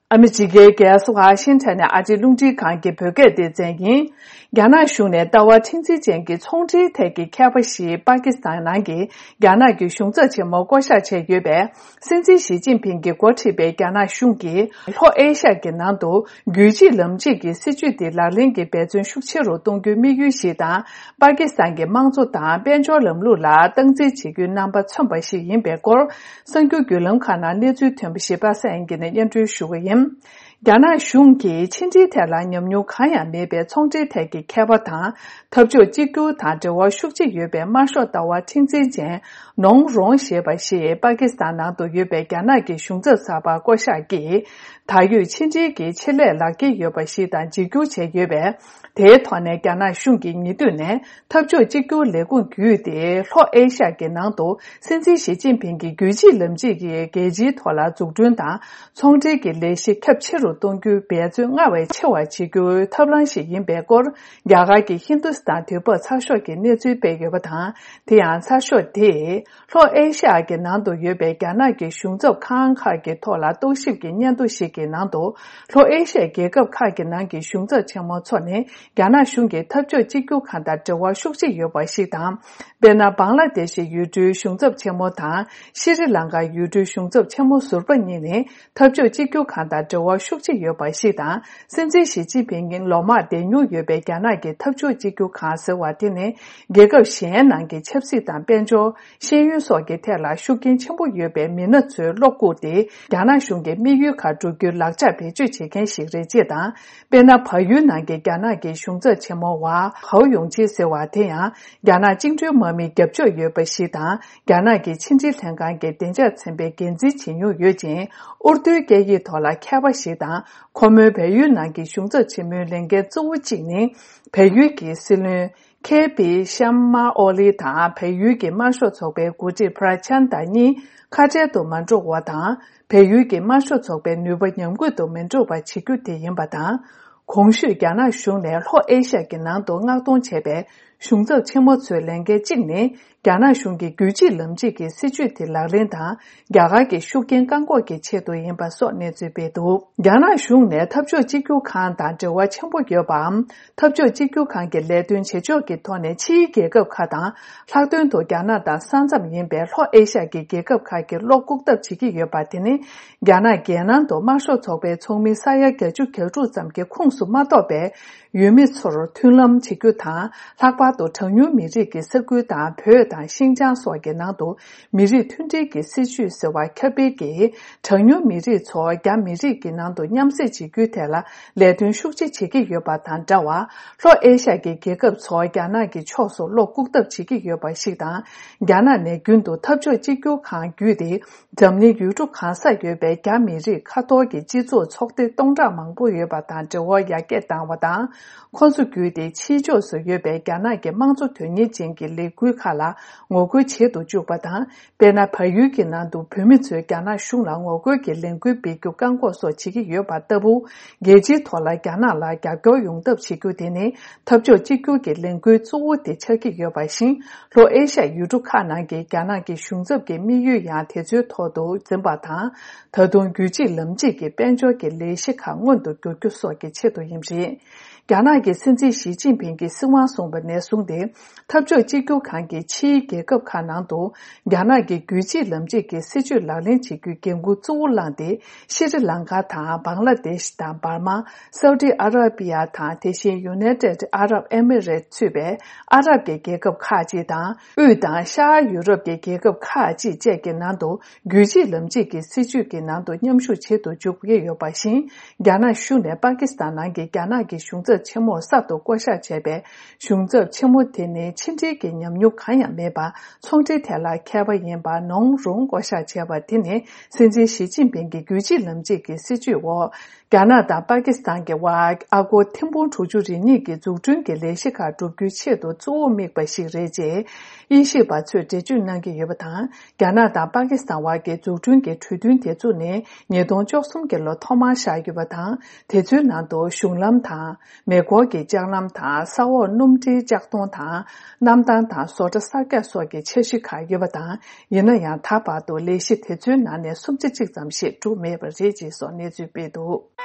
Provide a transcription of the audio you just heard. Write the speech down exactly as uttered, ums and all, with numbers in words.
ཨ་མི་རི་ཀའི་རྒྱལ་ས་ཝ་ཤིང་ཊོན་ནས་ཨ་རིའི་རླུང་འཕྲིན་ཁང་གི་བོད་སྐད་སྡེ་ཚན་ཡིན། རྒྱ་ནག་གཞུང་ནས་ལྟ་བ་མཁྲེགས་འཛིན་ཅན་གྱི་ཚོང་འབྲེལ་ཐད་ཀྱི་ཁྱད་པར་ཞིག་པ་ཀི་སི་ཐན་ནང་གི་རྒྱ་ནག་གི་གཞུང་ཚབ་ཆེན་མོ་བསྐོ་གཞག་བྱས་ཡོད་པས། སྲིད་འཛིན་ཞི་ཅིན་ཕིང་གིས་འགོ་ཁྲིད་པའི་རྒྱ་ནག་གཞུང་གིས་ལྷོ་ཨེ་ཤ་ཡའི་ནང་དུ་རྒྱུད་གཅིག་ལམ་གཅིག་གི་སྲིད་བྱུས་དེ་ལག་ལེན་གྱི་འབད་བརྩོན་ཤུགས་ཆེ་རུ་གཏོང་རྒྱུའི་དམིགས་ཡུལ་ཞིག་དང་། པ་ཀི་སི་ཐན་གྱི་དམངས་གཙོ་དང་དཔལ་འབྱོར་ལམ་ལུགས་ལ་སྟངས་འཛིན་བྱེད་རྒྱུའི་རྣམ་པ་མཚོན་པ་ཞིག་ཡིན་པའི་སྐོར། གསར་འགྱུར་བརྒྱུད་ལམ་ཁག་ནང་གནས་ཚུལ་ཐོན་པ་ཞིག་པ་སངས་དབྱངས་སྐྱིད་ནས་སྙན་སྒྲོན་ཞུ་གི་ཡིན། རྒྱ་ནག་གཞུང་གིས་ཕྱི་འབྲེལ་ཐད་ལ་ཉམས་མྱོང་གང་ཡང་མེད་པའི་ཚོང་འབྲེལ་ཐད་ཀྱི་ཁྱད་པར་དང་། འཐབ་ཕྱོགས་གཅིག་གྱུར་དང་འབྲེལ་བ་ཤུགས་ཆེ་ཡོད་པའི་དམར་ཤོག་ལྟ་བ་མཁྲེགས་འཛིན་ཅན་ནོང་རོང་ཞེས་པ་ཞིག་པ་ཀི་སི་ཐན་ནང་དུ་ཡོད་པའི་རྒྱ་ནག་གི་གཞུང་ཚབ་གསར་པ་བསྐོ་གཞག་གིས། ད་ཡོད་ཕྱི་འབྲེལ་གྱི་ཆེད་ལས་ལག་འཁྱེར་ཡོད་པ་ཞིག་དང་འཇིགས་སྐྱོར་བྱས་ཡོད་པས། དེའི་ཐོག་ནས་རྒྱ་ནག་གཞུང་གིས་ཉེ་དུས་ནས་འཐབ་ཕྱོགས་གཅིག་གྱུར་ལས་ཁུངས་བརྒྱུད་དེ་ལྷོ་ཨེ་ཤ་ཡའི་ནང་དུ་སྲིད་འཛིན་ཞི་ཅིན་ཕིང་གིས་རྒྱུད་གཅིག་ལམ་གཅིག་གི་རྒྱལ་སྤྱིའི་ཐོག་ལ་འཛུགས་སྐྲུན་དང་ཚོང་འབྲེལ་གྱི་ལས་གཞི་ཁྱབ་ཆེ་རུ་གཏོང་རྒྱུའི་འབད་བརྩོན་སྔར་བས་ཆེ་བ་བྱེད་རྒྱུའི་ཐབས་ལམ་ཞིག་ཡིན་པའི་སྐོར། རྒྱ་གར་གྱི་ཧིན་དུ་སི་ཐན་དུས་བབ་ཚགས་ཤོག་གིས་གནས་ཚུལ་སྤེལ་ཡོད་པ་དང་། དེ་ཡང་ཚགས་ཤོག་དེས། ལྷོ་ཨེ་ཤ་ཡའི་ནང་དུ་ཡོད་པའི་རྒྱ་ནག་གི་གཞུང་ཚབ་ཁང་ཁག་གི་ཐོག་ལ་རྟོག་ཞིབ་ཀྱི་སྙན་ཐོ་ཞིག་གི་ནང་དུ། ལྷོ་ཨེ་ཤ་ཡའི་རྒྱལ་ཁབ་ཁག་གི་ནང་གི་གཞུང་ཚབ་ཆེན་མོ་ཚོ་ནི་རྒྱ་ནག་གཞུང་གི་འཐབ་ཕྱོགས་གཅིག་གྱུར་ཁང་དང་འབྲེལ་བ་ཤུགས་ཆེ་ཡོད་པ་ཞིག་དང་། དཔེར་ན། བང་ལ་དེ་ཤི་ཡུལ་གྲུའི་གཞུང་ཚབ་ཆེན་མོ་དང་། ཤྲི་ལང་ཀ་ཡུལ་གྲུའི་གཞུང་ཚབ་ཆེན་མོ་ཟུར་པ་གཉིས་ནི། འཐབ་ཕྱོགས་གཅིག་གྱུར་ཁང་དང་འབྲེལ་བ་ཤུགས་ཆེ་ཡོད་པ་ཞིག་དང་། སྲིད་འཛིན་ཞི་ཅིན་ཕིང་གིས་ལོ་མང་བསྡད་མྱོང་ཡོད་པའི་རྒྱ་ནག་གི་འཐབ་ཕྱོགས་གཅིག་གྱུར་ཁང་ཟེར་བ་དེ་ནི། རྒྱལ་ཁབ་གཞན་ནང་གི་ཆབ་སྲིད་དང་དཔལ་འབྱོར། ཤེས་ཡོན་སོགས་ཀྱི་ཐད་ལ་ཤུགས་རྐྱེན་ཆེན་པོ་ཡོད་པའི་མི་སྣ་ཚོའི་བློ་བཀུག་སྟེ། རྒྱ་ནག་གཞུང་གི་དམིགས་ཡུལ་ཁག་བསྒྲུབ་རྒྱུའི་ལག་ཆ་བེད་སྤྱོད་བྱེད་མཁན་ཞིག་རེད་ཅེས་དང་། དཔེར་ན། བལ་ཡུལ་ནང་གི་རྒྱ་ནག་གི་གཞུང་ཚབ་ཆེན་མོ་ཝ་ཧའོ་ཡུང་ཅི་ཟེར་བ་དེ་ཡང་། རྒྱ་ནག་བཅིངས་འགྲོལ་དམག་མིའི་རྒྱབ་ཕྱོགས་ཡོད་པ་ཞིག་དང་། རྒྱ་ནག་གི་ཕྱི་འབྲེལ་ལྷན་ཁང་གི་བདེ་འཇགས་ཚན་པའི་འགན་འཛིན་བྱེད་མྱོང་ཡོད་ཅིང་། ཨུར་དུའི་སྐད་ཡིག་ཐོག་ལ་མཁས་པ་ཞིག་དང་། ཁོ་མོའི་བལ་ཡུལ་ནང་གི་གཞུང་ཚབ་ཆེན་མོའི་ལས་འགན་གཙོ་བོ་གཅིག་ནི། བལ་ཡུལ་གྱི་སྲིད་བློན་ཁེ་པི་ཤམ་མ་ཨོ་ལི་དང་། བལ་ཡུལ་གྱི་དམར་ཤོག་ཚོགས་པའི་འགོ་ཁྲིད་པྲ་ཆན་ད་གཉིས་ཁ་བྲལ་དུ་མ་འགྲོ་བ་དང་། བལ་ཡུལ་གྱི་དམར་ཤོག་ཚོགས་པའི་ནུས་པ་ཉམས་རྒུད་དུ་མི་འགྲོ་བ་བྱེད་རྒྱུ་དེ་ཡིན་པ་དང་། གོང་ཞུས་རྒྱ་ནག་གཞུང་ནས་ལྷོ་ཨེ་ཤ་ཡའི་ནང་དུ་མངགས་གཏོང་བྱས་པའི་གཞུང་ཚབ་ཆེན་མོ་ཚོའི་ལས་འགན་གཅིག་ནི། རྒྱ་ནག་གཞུང་གི་རྒྱུད་གཅིག་ལམ་གཅིག་གི་སྲིད་བྱུས་དེ་ལག་ལེན་དང་། རྒྱ་གར་གྱི་ཤུགས་རྐྱེན་བཀག་འགོག་གི་ཆེད་དུ་ཡིན་པ་སོགས་གནས་ཚུལ་སྤེལ་འདུག་རྒྱ་ནག་གཞུང་ནས་འཐབ་ཕྱོགས་གཅིག་གྱུར་ཁང་དང་འབྲེལ་བ་ཆེན་པོ་ཡོད་པའམ། འཐབ་ཕྱོགས་གཅིག་གྱུར་ཁང་གི་ལས་དོན་བྱེད་ཕྱོགས་ཀྱི་ཐོག་ནས་ཕྱིའི་རྒྱལ་ཁབ་ཁག་དང་། ལྷག་དོན་དུ་རྒྱ་ནག་དང་ས་མཚམས་ཡིན་པའི་ལྷོ་ཨེ་ཤ་ཡའི་རྒྱལ་ཁབ་ཁག་གི་བློ་བཀུག་ཐབས་བྱེད་ཀྱི་ཡོད་པ་དེ་ནི། རྒྱ་ནག་རྒྱལ་ནང་དུ་དམར་ཤོག་ཚོགས་པའི་ཚོགས་མི་ས་ཡ་བརྒྱད་ཅུ་གྱ་དྲུག་ཙམ་གྱི་ཁོངས་སུ་མ་གཏོགས་པའི་ཡུལ་མི་ཚོར་མཐུན་ལམ་བྱེད་རྒྱུ་དང་། ལྷག་པར་དུ་གྲངས་ཉུང་མི་རིགས་ཀྱི་ས་ཁུལ་དང་། བོད་དང་ཤིན་ཅང་སོགས་ཀྱི་ནང་དུ་མི་རིགས་མཐུན་སྒྲིལ་གྱི་སྲིད་བྱུས་ཟེར་བ་ཁྱབ་སྤེལ་གྱིས། གྲངས་ཉུང་མི་རིགས་ཚོ་རྒྱ་མི་རིགས་ཀྱི་ནང་དུ་མཉམ་བསྲེས་བྱེད་རྒྱུའི་ཐད་ལ་ལས་དོན་ཤུགས་ཆེ་བྱེད་ཀྱི་ཡོད་པ་དང་འདྲ་བར། ལྷོ་ཨེ་ཤ་ཡའི་རྒྱལ་ཁབ་ཚོ་རྒྱ་ནག་གི་ཕྱོགས་སུ་བློ་བཀུག་ཐབས་བྱེད་ཀྱི་ཡོད་པ་ཞིག་དང་། རྒྱ་ནག་ནས་རྒྱུན་དུ་འཐབ་ཕྱོགས་གཅིག་གྱུར་ཁང་བརྒྱུད་དེ། འཛམ་གླིང་ཡུལ་གྲུ་གང་སར་ཡོད་པའི་རྒྱ་མི་རིགས་ཁ་ཐོར་གྱི་སྤྱི་ཚོགས་ཚོགས་སྡེ་སྟོང་ཕྲག་མང་པོ་ཡོད་པ་དང་འབྲེལ་བ་ཡར་རྒྱས་བཏང་བ་དང་། ཁོ་ཚོ་བརྒྱུད་དེ་ཕྱིའི་ཕྱོགས་སུ་ཡོད་པའི་རྒྱ་ནག་གི་དམངས་གཙོ་དོན་གཉེར་ཅན་གྱི་ལས་འགུལ་ཁག་ལ་ངོ་རྒོལ་བྱེད་དུ་བཅུག་པ་དང་། དཔེར་ན། བལ་ཡུལ་གྱི་ནང་དུ་བོད་མི་ཚོས་རྒྱ་ནག་གཞུང་ལ་ངོ་རྒོལ་གྱི་ལས་འགུལ་སྤེལ་རྒྱུ་བཀག་འགོག་སོགས་བྱེད་ཀྱི་ཡོད་པ་ལྟ་བུ། རྒྱལ་སྤྱིའི་ཐོག་ལ་རྒྱ་ནག་ལ་རྒྱབ་སྐྱོར་ཡོང་ཐབས་བྱེད་རྒྱུ་དེ་ནི། འཐབ་ཕྱོགས་གཅིག་གྱུར་གྱི་ལས་འགུལ་གཙོ་བོ་དེ་ཆགས་ཀྱི་ཡོད་པ་བཞིན། ལྷོ་ཨེ་ཤ་ཡའི་ཡུལ་གྲུ་ཁག་ནང་གི་རྒྱ་ནག་གི་གཞུང་ཚབ་ཀྱི་དམིགས་ཡུལ་ཡང་དེ་ཚོའི་ཐོག་ཏུ་འཛིན་པ་དང་། ད་དུང་རྒྱུད་གཅིག་ལམ་གཅིག་གི་དཔལ་འབྱོར་གྱི་ལས་གཞི་ཁག་སྔོན་དུ་འགྱུར་རྒྱུ་སོགས་ཀྱི་ཆེད་དུ་ཡིན་པ་རེད། རྒྱ་ནག་གི་སྲིད་འཛིན་ཞི་ཅིན་ཕིང་གིས་སྲིད་དབང་བཟུང་བ་ནས་བཟུང་སྟེ། འཐབ་ཕྱོགས་གཅིག་གྱུར་ཁང་གིས་ཕྱིའི་རྒྱལ་ཁབ་ཁག་ནང་དུ་རྒྱ་ནག་གི་རྒྱུད་གཅིག་ལམ་གཅིག་གི་སྲིད་བྱུས་ལག་ལེན་བྱེད་རྒྱུའི་འགན་འཁུར་གཙོ་བོ་བླངས་ཏེ། ཤྲི་ལང་ཀ་དང་། བང་ལ་དེཤ་དང་། འབར་མ། སའུ་ཏི་ཨ་ར་པི་ཡ་དང་། དེ་བཞིན་ཡུ་ནའི་ཏེད་ཨ་རབ་ཨེ་མི་རེད་ཚུད་པའི་ཨ་རབ་ཀྱི་རྒྱལ་ཁབ་ཁག་ཅིག་དང་། དབུས་དང་ཤར་ཡུ་རོབ་ཀྱི་རྒྱལ་ཁབ་ཁག་ཅིག་བཅས་ཀྱི་ནང་དུ། རྒྱུད་གཅིག་ལམ་གཅིག་གི་སྲིད་བྱུས་ཀྱི་ནང་དུ་མཉམ་ཞུགས་བྱེད་དུ་འཇུག་གི་ཡོད་པ་བཞིན། རྒྱ་ནག་གཞུང་ནས་པ་ཀི་སི་ཐན་ནང་གི་རྒྱ་ནག་གི་གཞུང་ཚབ་ཆེན་མོར་གསར་དུ་བསྐོ་གཞག་བྱས་པའི་གཞུང་ཚབ་ཆེན་མོ་དེ་ནི་ཕྱི་འབྲེལ་གྱི་ཉམས་མྱོང་གང་ཡང་མེད་པར། ཚོང་འབྲེལ་ཐད་ལ་མཁས་པ་ཡིན་པ་ནོང་རུང་བསྐོ་གཞག་བྱས་པ་དེ་ནི། སྲིད་འཛིན་ཞི་ཅིན་ཕིང་གི་རྒྱུད་གཅིག་ལམ་གཅིག་གི་སྲིད་བྱུས་འོག་རྒྱ་ནག་དང་པ་ཀི་སི་ཐན་གྱི་དབར་ཨ་སྒོར་ཐེར་འབུམ་དྲུག་ཅུ་རེ་གཉིས་ཀྱི་འཛུགས་སྐྲུན་གྱི་ལས་གཞི་ཁག་བསྒྲུབ་རྒྱུའི་ཆེད་དུ་གཙོ་བོ་དམིགས་པ་ཞིག་རེད་ཅེས་དབྱེ་ཞིབ་པ་ཚོས་འགྲེལ་བརྗོད་གནང་གི་ཡོད་པ་དང་། རྒྱ་ནག་དང་པ་ཀི་སི་ཐན་དབར་གྱི་འཛུགས་སྐྲུན་གྱི་གྲོས་མཐུན་དེ་བཙུགས་ནས་ཉིས་སྟོང་བཅུ་གསུམ་གྱི་ལོ་ཐོག་མར་བཞག་ཡོད་པ་དང་། དེ་ཚོའི་ནང་དུ་གཞུང་ལམ་དང་། མེ་འཁོར་གྱི་ལྕགས་ལམ་དང་ས་འོག་སྣུམ་འདྲེན་ལྕགས་མདོང་དང་གནམ་ཐང་དང་བཟོ་གྲྭ་གསར་རྒྱག་སོགས་ཀྱི་འཆར་གཞི་ཁག་ཡོད་པ་དང་། ཡིན་ན་ཡང་ད་བར་དུ་ལས་གཞི་དེ་ཚོའི་ནང་ནས་སུམ་ཆ་གཅིག་ཙམ་ཞིག་གྲུབ་མེད་པ་རེད་ཅེས་སོགས་གནས་ཚུལ་སྤེལ་འདུག